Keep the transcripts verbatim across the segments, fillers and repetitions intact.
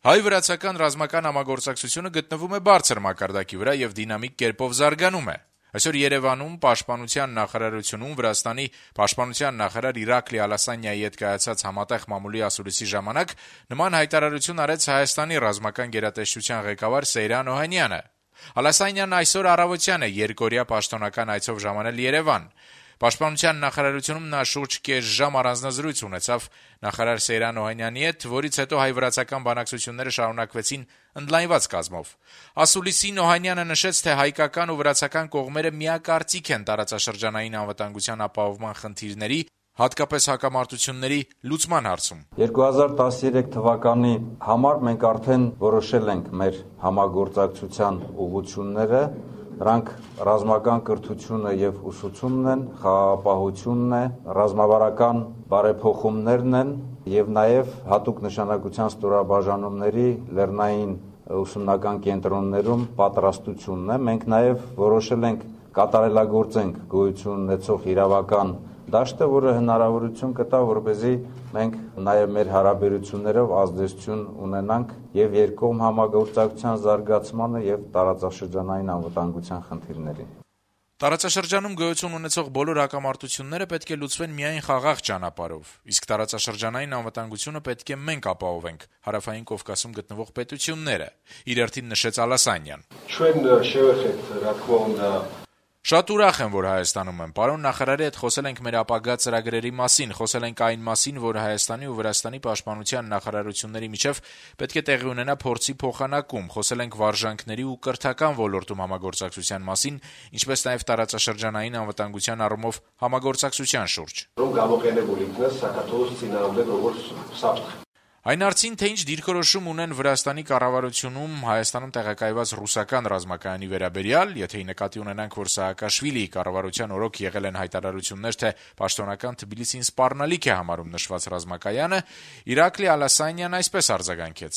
Հայ-վրացական ռազմական համագործակցությունը գտնվում է բարձր մակարդակի վրա եւ դինամիկ կերպով զարգանում է։ Այսօր Երևանում Պաշտպանության նախարարությունում Վրաստանի պաշտպանության նախարար Իրակլի Ալասանյայի հետ կայացած համատեղ մամուլի ասուլիսի ժամանակ նման հայտարարություն արեց Հայաստանի ռազմական գերատեսչության ղեկավար Սեյրան Օհանյանը։ Ալասանյանն այսօր առավոտյան է երկօրյա պաշտոնական այցով ժամանել Երևան։ Պաշտպանության նախարարությունում նա շուրջ կես ժամ առանձնազրույց ունեցավ նախարար Սեյրան Օհանյանի հետ, որից հետո հայ-վրացական բանակցությունները շարունակվեցին ընդլայնված կազմով։ Ասուլիսին Օհանյանը նշեց, թե հայկական ու վրացական կողմերը միակարծիք են տարածաշրջանային անվտանգության ապահովման խնդիրների, հատկապես հակամարտությունների լուծման հարցում։ երկու հազար տասներեք թվականի համար մենք արդեն որոշել ենք մեր համագործակցության ուղղությունները, դրանք ռազմական կրթությունը եւ ուսուցումն են, խաղաղապահությունն է, ռազմավարական բարեփոխումներն են եւ նաեւ հատուկ նշանակության ստորաբաժանումների լեռնային ուսումնական կենտրոններում պատրաստությունն է։ Մենք նաեւ որոշել ենք կատարելագործենք գոյություն ունեցող իրավական դաշտը, որը հնարավորություն կտա, որպեսզի մենք նաև մեր հարաբերություններով ազդեցություն ունենանք եւ երկկողմ համագործակցության զարգացմանը եւ տարածաշրջանային անվտանգության խնդիրներին։ Տարածաշրջանում գոյություն ունեցող բոլոր հակամարտությունները պետք է լուծվեն միայն խաղաղ ճանապարհով, իսկ տարածաշրջանային անվտանգությունը պետք է մենք ապահովենք, Հարավային Կովկասում գտնվող պետությունները, իր հերթին նշեց Ալասանյան։ Շատ ուրախ եմ, որ Հայաստանում եմ։ Պարոն նախարարի հետ խոսել ենք մեր ապագա ծրագրերի մասին, խոսել ենք այն մասին, որ Հայաստանի ու Վրաստանի պաշտպանության նախարարությունների միջև պետք է տեղի ունենա փորձի փոխանակում, խոսել ենք վարժանքների ու կրթական ոլորտում համագործակցության մասին, ինչպես նաև տարածաշրջանային անվտանգության առումով համագործակցության շուրջ։ Այն հարցին, թե ինչ դիրքորոշում ունեն Վրաստանի կառավարությունում Հայաստանում տեղակայված ռուսական ռազմակայանի վերաբերյալ, եթե ի նկատի ունենանք, որ Սաակաշվիլիի կառավարության օրոք եղել են հայտարարություններ, թե պաշտոնական Թբիլիսին սպառնալիք է համարում նշված ռազմակայանը, Իրակլի Ալասանյանն այսպես արձագանքեց.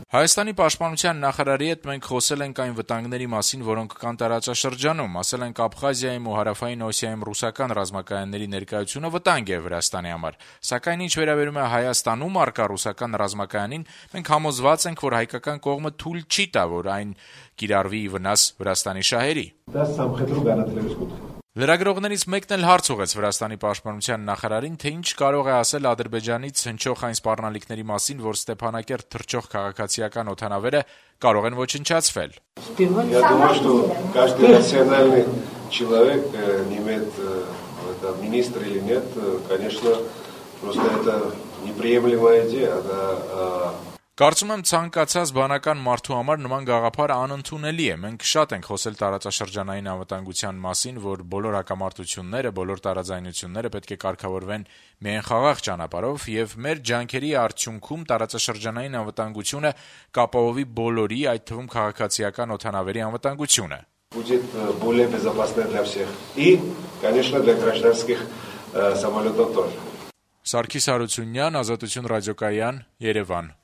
Հայաստանի պաշտպանության նախարարի հետ մենք խոսել ենք այն վտանգների մասին, որոնք կան տարածաշրջանում, ասել ենք Աբխազիայում ու Հարավային Օսիայում ռուսական ռազմակայանների ներկայությունը վտանգ է Վրաստանի համար, սակայն ինչ վերաբերում է Հայաստանում առկա ռուսական ռազմակայանին, մենք համոզված ենք, որ հայկական կողմը թույլ չի տա, որ այն կիրառվի ի վնաս Վրաստանի շահերի։ Լրագրողներից մեկն էլ հարց ուղղեց Վրաստանի պաշտպանության նախարարին, թե ինչ կարող է ասել Ադրբեջանից հնչող այն սպառնալիքների մասին, որ Ստեփանակերտ թռչող քաղաքացիական օդանավերը կարող են ոչնչացվել։ Я думаю, что каждый рациональный человек, не имеет это министр или нет, конечно, просто это неприемлемая идея, да. Կարծում եմ ցանկացած բանական մարդու համար նման գաղափարը անընդունելի է։ Մենք շատ ենք խոսել տարածաշրջանային անվտանգության մասին, որ բոլոր հակամարտությունները, բոլոր տարաձայնությունները պետք է կարգավորվեն միայն խաղաղ ճանապարհով եւ մեր ջանքերի արդյունքում տարածաշրջանային անվտանգությունը կապահովի բոլորի, այդ թվում քաղաքացիական օդանավերի անվտանգությունը։ Будет более безопасно для всех. И, конечно, для гражданских самолетов тоже. Սարգիս Հարությունյան, Ազատություն ռադիոկայան, Երևան։